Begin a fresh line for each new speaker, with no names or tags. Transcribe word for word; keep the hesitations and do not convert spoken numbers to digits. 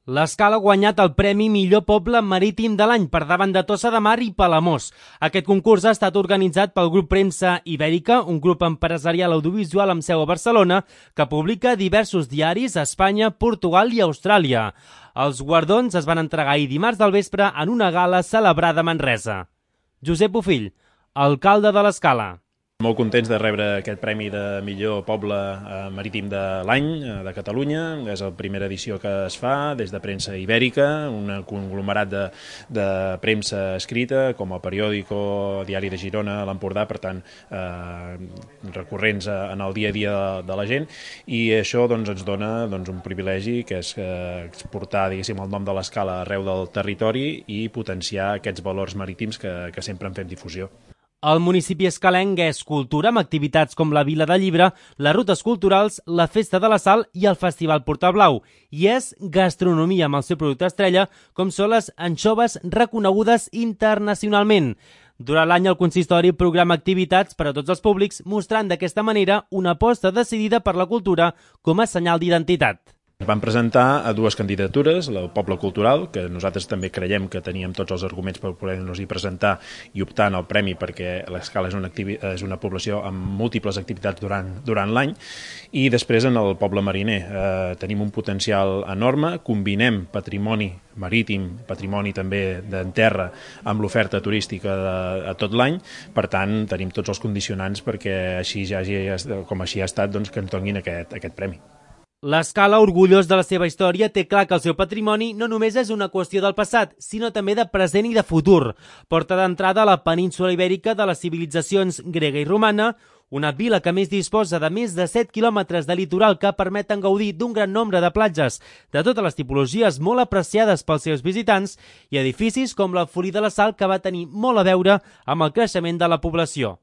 L'Escala ha guanyat el Premi Millor Poble Marítim de l'any per davant de Tossa de Mar i Palamós. Aquest concurs ha estat organitzat pel Grup Premsa Ibèrica, un grup empresarial audiovisual amb seu a Barcelona, que publica diversos diaris a Espanya, Portugal i Austràlia. Els guardons es van entregar ahir dimarts del vespre en una gala celebrada a Manresa. Josep Bofill, alcalde de l'Escala.
Molt contents de rebre aquest premi de millor poble marítim de l'any de Catalunya. És la primera edició que es fa des de Premsa Ibèrica, un conglomerat de, de premsa escrita, com el Periòdico, Diari de Girona, l'Empordà, per tant, eh, recurrents en el dia a dia de, de la gent. I això doncs, ens dona doncs, un privilegi, que és eh, exportar diguéssim, el nom de l'Escala arreu del territori i potenciar aquests valors marítims que, que sempre en fem difusió.
El municipi escalenc és cultura amb activitats com la Vila del Llibre, les rutes culturals, la Festa de la Sal i el Festival Portablau. I és gastronomia amb el seu producte estrella, com són les anxoves reconegudes internacionalment. Durant l'any el consistori programa activitats per a tots els públics, mostrant d'aquesta manera una aposta decidida per la cultura com a senyal d'identitat.
Es van presentar a dues candidatures, el Poble Cultural, que nosaltres també creiem que teníem tots els arguments per poder-nos-hi presentar i optar en el premi perquè l'Escala és una, és una població amb múltiples activitats durant, durant l'any, i després en el Poble Mariner. Eh, tenim un potencial enorme, combinem patrimoni marítim, patrimoni també d'en terra, amb l'oferta turística de, de tot l'any, per tant tenim tots els condicionants perquè així ja hagi, com així ha estat, doncs, que ens donin aquest, aquest premi.
L'Escala, orgullós de la seva història, té clar que el seu patrimoni no només és una qüestió del passat, sinó també de present i de futur. Porta d'entrada a la península ibèrica de les civilitzacions grega i romana, una vila que més disposa de més de set quilòmetres de litoral que permeten gaudir d'un gran nombre de platges de totes les tipologies molt apreciades pels seus visitants i edificis com el Folí de la Sal, que va tenir molt a veure amb el creixement de la població.